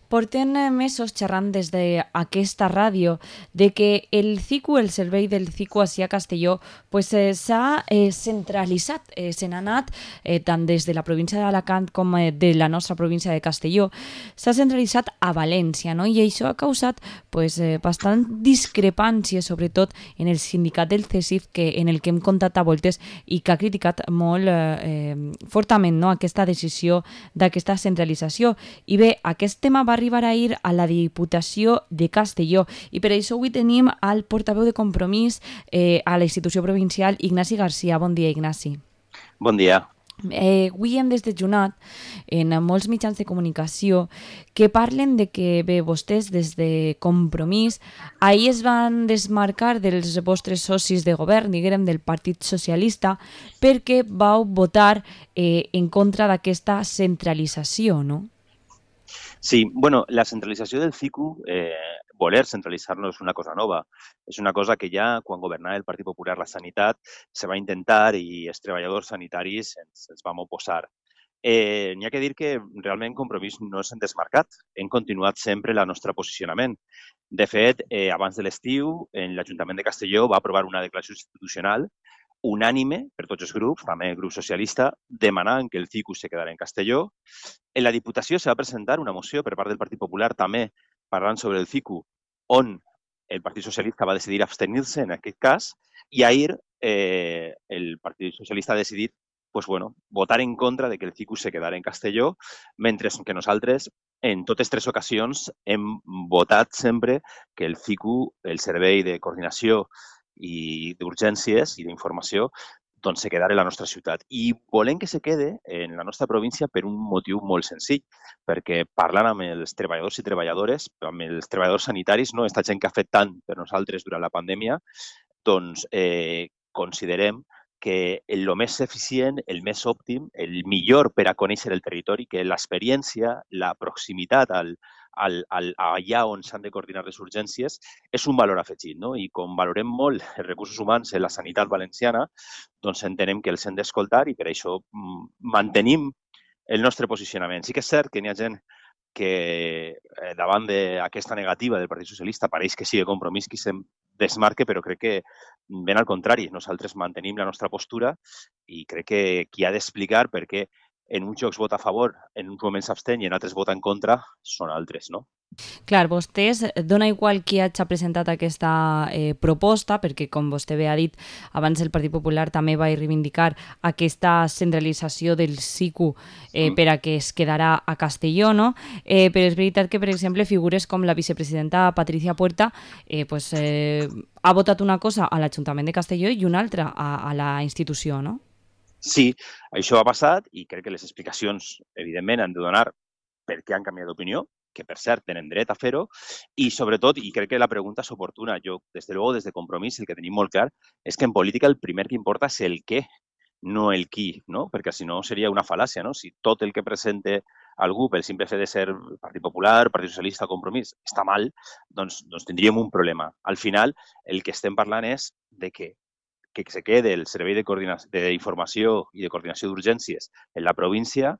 Portem mesos xerrant des d'aquesta ràdio de que el CICU, el servei del CICU ací a Castelló, s'ha centralitzat, se n'ha anat tant des de la província d'Alacant com de la nostra província de Castelló, s'ha centralitzat a València, no? I això ha causat bastant discrepància, sobretot en el sindicat del CESIF, en el que hem comptat a voltes i que ha criticat molt fortament, no?, aquesta decisió d'aquesta centralització. I bé, aquest tema va arribar ahir a la Diputació de Castelló i per això avui tenim al portaveu de Compromís a la institució provincial, Ignasi Garcia. Bon dia, Ignasi. Bon dia. Avui hem desdejunat en molts mitjans de comunicació que parlen de que, bé, vostès des de Compromís ahir es van desmarcar dels vostres socis de govern, diguem, del Partit Socialista, perquè vau votar en contra d'aquesta centralització, no? Sí, bueno, la centralització del CICU, voler centralitzar-lo és una cosa nova. És una cosa que ja quan governava el Partit Popular la sanitat se va intentar i els treballadors sanitaris ens vam oposar. N'hi ha que dir que realment Compromís no s'han desmarcat. Hem continuat sempre el nostre posicionament. De fet, abans de l'estiu, l'Ajuntament de Castelló va aprovar una declaració institucional unànime per tots els grups, també el grup socialista, demanant que el CICU se quedara en Castelló. En la Diputació se va presentar una moció per part del Partit Popular també parlant sobre el CICU, on el Partit Socialista va decidir abstenir-se en aquest cas, i ahir el Partit Socialista ha decidit votar en contra de que el CICU se quedara en Castelló, mentre que nosaltres en totes tres ocasions hem votat sempre que el CICU, el Servei de Coordinació i d'Urgències i d'Informació, doncs se quedara a la nostra ciutat. I volem que se quede en la nostra província per un motiu molt senzill, perquè parlant amb els treballadors i treballadores, amb els treballadors sanitaris, no, aquesta gent que ha fet tant per nosaltres durant la pandèmia, doncs considerem que el més eficient, el més òptim, el millor per a conèixer el territori, que l'experiència, la proximitat allà on s'han de coordinar les urgències, és un valor afegit, no? I com valorem molt els recursos humans en la sanitat valenciana, doncs entenem que els hem d'escoltar i per això mantenim el nostre posicionament. Sí que és cert que n'hi ha gent que davant d'aquesta negativa del Partit Socialista pareix que sigui Compromís qui se'n desmarque, però crec que ben al contrari. Nosaltres mantenim la nostra postura i crec que qui ha d'explicar per què en uns jocs vota a favor, en uns moments s'abstén i en altres vota en contra, són altres, no? Clar, vostès, dona igual qui hagi presentat aquesta proposta, perquè com vostè bé ha dit, abans el Partit Popular també va reivindicar aquesta centralització del SICU per a que es quedarà a Castelló, no? Però és veritat que, per exemple, figures com la vicepresidenta Patricia Puerta ha votat una cosa a l'Ajuntament de Castelló i una altra a la institució, no? Sí, això ha passat i crec que les explicacions, evidentment, han de donar per què han canviat d'opinió, que per cert tenen dret a fer-ho, i sobretot, i crec que la pregunta és oportuna, jo, des de Compromís, el que tenim molt clar és que en política el primer que importa és el què, no el qui, no? Perquè si no seria una fal·làcia, no? Si tot el que presenta algú pel simple fet de ser Partit Popular, Partit Socialista, Compromís, està mal, doncs tindríem un problema. Al final, el que estem parlant és de que se quede el Servei d'Informació i de Coordinació d'Urgències en la província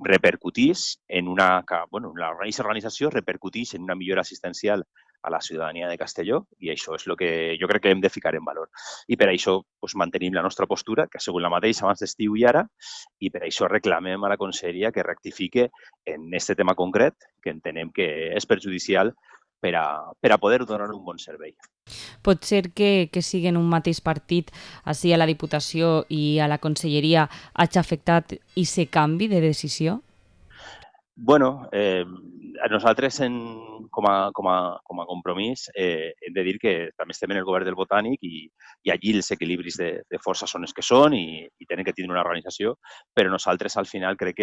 repercutís en una... Bueno, aquesta organització repercutís en una millora assistencial a la ciutadania de Castelló i això és el que jo crec que hem de ficar en valor. I per això mantenim la nostra postura, que ha sigut la mateixa abans d'estiu i ara, i per això reclamem a la conselleria que rectifique en aquest tema concret, que entenem que és perjudicial per a poder donar un bon servei. Pot ser que siguen un mateix partit així a la Diputació i a la Conselleria hagi afectat i se canvi de decisió? Bueno, nosaltres com a Compromís hem de dir que també estem en el govern del Botànic i allí els equilibris de força són els que són i tenen que tindre una organització, però nosaltres al final crec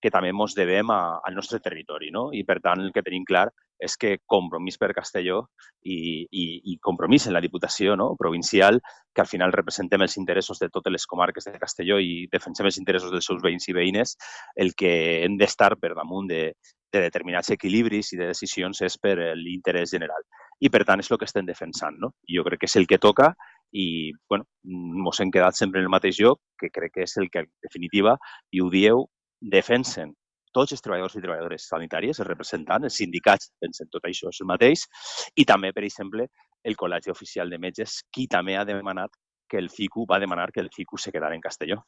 que també ens devem al nostre territori, no? I per tant el que tenim clar és que Compromís per Castelló i Compromís en la Diputació, no?, provincial, que al final representem els interessos de totes les comarques de Castelló i defensem els interessos dels seus veïns i veïnes, el que hem d'estar per damunt de determinats equilibris i de decisions és per l'interès general. I per tant és el que estem defensant, no? Jo crec que és el que toca i ens hem quedat sempre en el mateix lloc, que crec que és el que en definitiva, i ho dieu, defensen tots els treballadors i treballadores sanitàries, els representants, els sindicats, pensen tot això és el mateix, i també, per exemple, el Col·legi Oficial de Metges, qui també ha demanat que el CICU va demanar que el CICU se quedara en Castelló.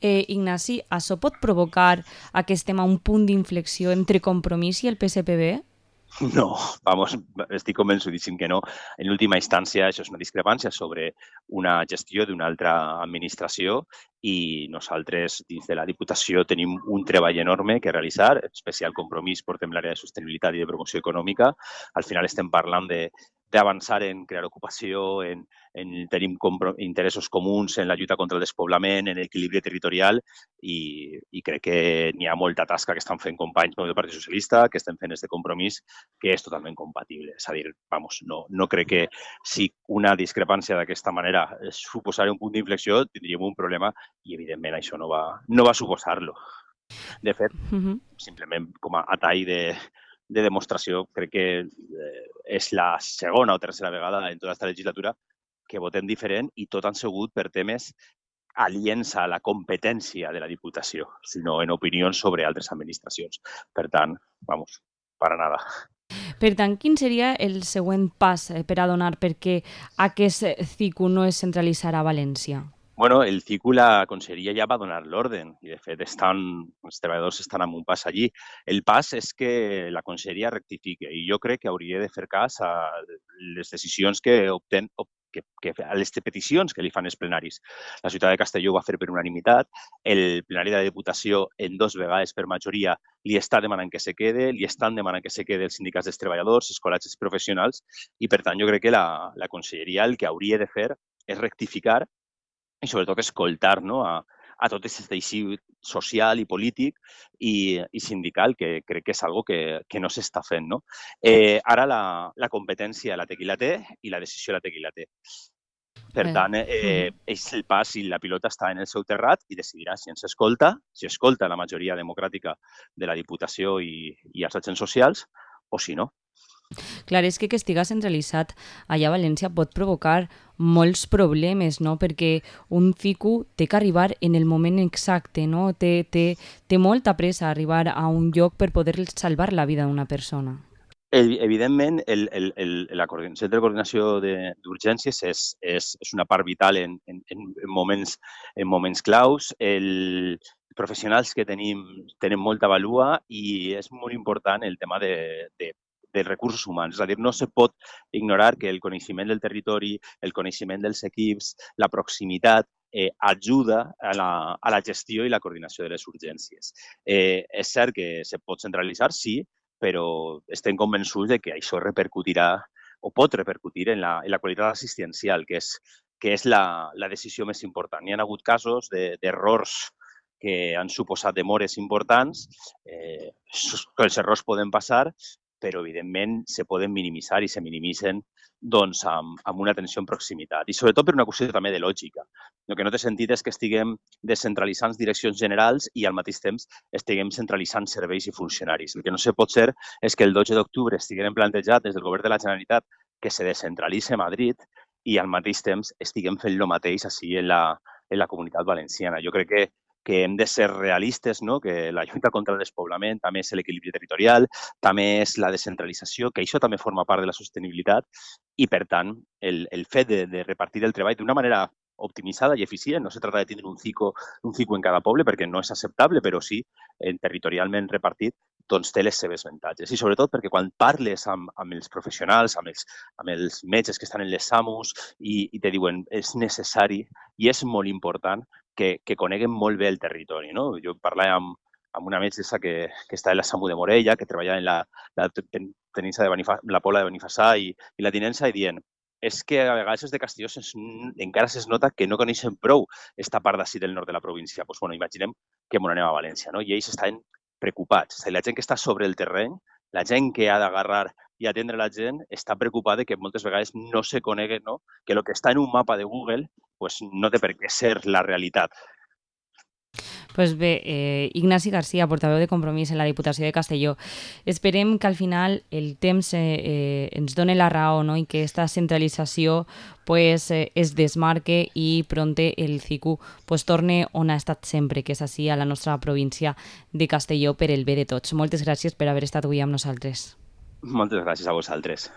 Ignasi, això pot provocar que estem a un punt d'inflexió entre Compromís i el PSPB? No, vamos, estic convençudíssim que no. En última instància, això és una discrepància sobre una gestió d'una altra administració i nosaltres, dins de la Diputació, tenim un treball enorme que realitzar, especial compromís portem l'àrea de sostenibilitat i de promoció econòmica. Al final estem parlant d'avançar en crear ocupació, tenim interessos comuns en la lluita contra el despoblament, en l'equilibri territorial i crec que n'hi ha molta tasca que estan fent companys del Partit Socialista, que estem fent este compromís, que és totalment compatible. És a dir, vamos, no crec que si una discrepància d'aquesta manera suposarà un punt d'inflexió, tindríem un problema i, evidentment, això no va suposar-lo. De fet, simplement com a tall de demostració, crec que és la segona o tercera vegada en tota aquesta legislatura que votem diferent i tot han sigut per temes aliens a la competència de la Diputació, sinó en opinions sobre altres administracions. Per tant, vamos, para nada. Per tant, quin seria el següent pas per a donar perquè aquest CICU no es centralitzarà a València? Bueno, el CICU, la conselleria ja va donar l'orden i, de fet, els treballadors estan amb un pas allí. El pas és que la conselleria rectifique i jo crec que hauria de fer cas a les decisions a les peticions que li fan els plenaris. La ciutat de Castelló ho va fer per unanimitat, el plenari de la Diputació en 2 vegades per majoria li està demanant que se quede, li estan demanant que se quede els sindicats dels treballadors, els col·legis professionals i, per tant, jo crec que la conselleria el que hauria de fer és rectificar i sobretot escoltar a tot aquest teixit social i polític i sindical, que crec que és algo que no s'està fent. No? Ara la competència la té qui la té i la decisió la té qui la té. Per tant, és el pas i la pilota està en el seu terrat i decidirà si ens escolta, si escolta la majoria democràtica de la Diputació i els agents socials o si no. Clar, és que estiga centralitzat allà a València pot provocar molts problemes, no? Perquè un CICU té que arribar en el moment exacte, no? Té molta pressa arribar a un lloc per poder salvar la vida d'una persona. Evidentment, el Centre de Coordinació d'Urgències és una part vital en moments claus. Els professionals que tenim tenen molta vàlua i és molt important el tema dels recursos humans. És a dir, no se pot ignorar que el coneixement del territori, el coneixement dels equips, la proximitat, ajuda a la gestió i la coordinació de les urgències. És cert que se pot centralitzar, sí, però estem convençuts de que això repercutirà o pot repercutir en la qualitat assistencial, que és la decisió més important. Hi ha hagut casos d'errors que han suposat demores importants, els errors poden passar, però evidentment se poden minimitzar i se minimitzen amb una atenció en proximitat. I sobretot per una qüestió també de lògica. El que no té sentit és que estiguem descentralitzant direccions generals i al mateix temps estiguem centralitzant serveis i funcionaris. El que no se pot ser és que el 12 d'octubre estiguem plantejat des del govern de la Generalitat que se descentralitzi Madrid i al mateix temps estiguem fent el mateix així en la comunitat valenciana. Jo crec que hem de ser realistes, no? Que la lluita contra el despoblament també és l'equilibri territorial, també és la descentralització, que això també forma part de la sostenibilitat i, per tant, el fet de repartir el treball d'una manera optimitzada i eficient. No se trata de tindre un CICU en cada poble perquè no és acceptable, però sí, territorialment repartit, doncs té les seves avantatges. I sobretot perquè quan parles amb els professionals, amb els metges que estan en les SAMUs i te diuen és necessari i és molt important que coneguen molt bé el territori. No? Jo parlava amb una metgessa que està a la SAMU de Morella, que treballa en la teninça la Pobla de Benifassà i la tinença, i dient és que a vegades de Castelló encara es nota que no coneixen prou esta part d'ací del nord de la província. Doncs, bueno, imaginem que ens anem a València, no? I ells estan preocupats. La gent que està sobre el terreny, la gent que ha d'agarrar i atendre la gent, està preocupada que moltes vegades no se conegui, no? Que el que està en un mapa de Google pues, no té per què ser la realitat. Pues bé, Ignasi Garcia, portaveu de Compromís en la Diputació de Castelló. Esperem que al final el temps ens doni la raó, no? I que aquesta centralització pues, es desmarque i pronte el CICU pues, torne on ha estat sempre, que és així a la nostra província de Castelló per el bé de tots. Moltes gràcies per haver estat avui amb nosaltres. Moltes gràcies a vosaltres.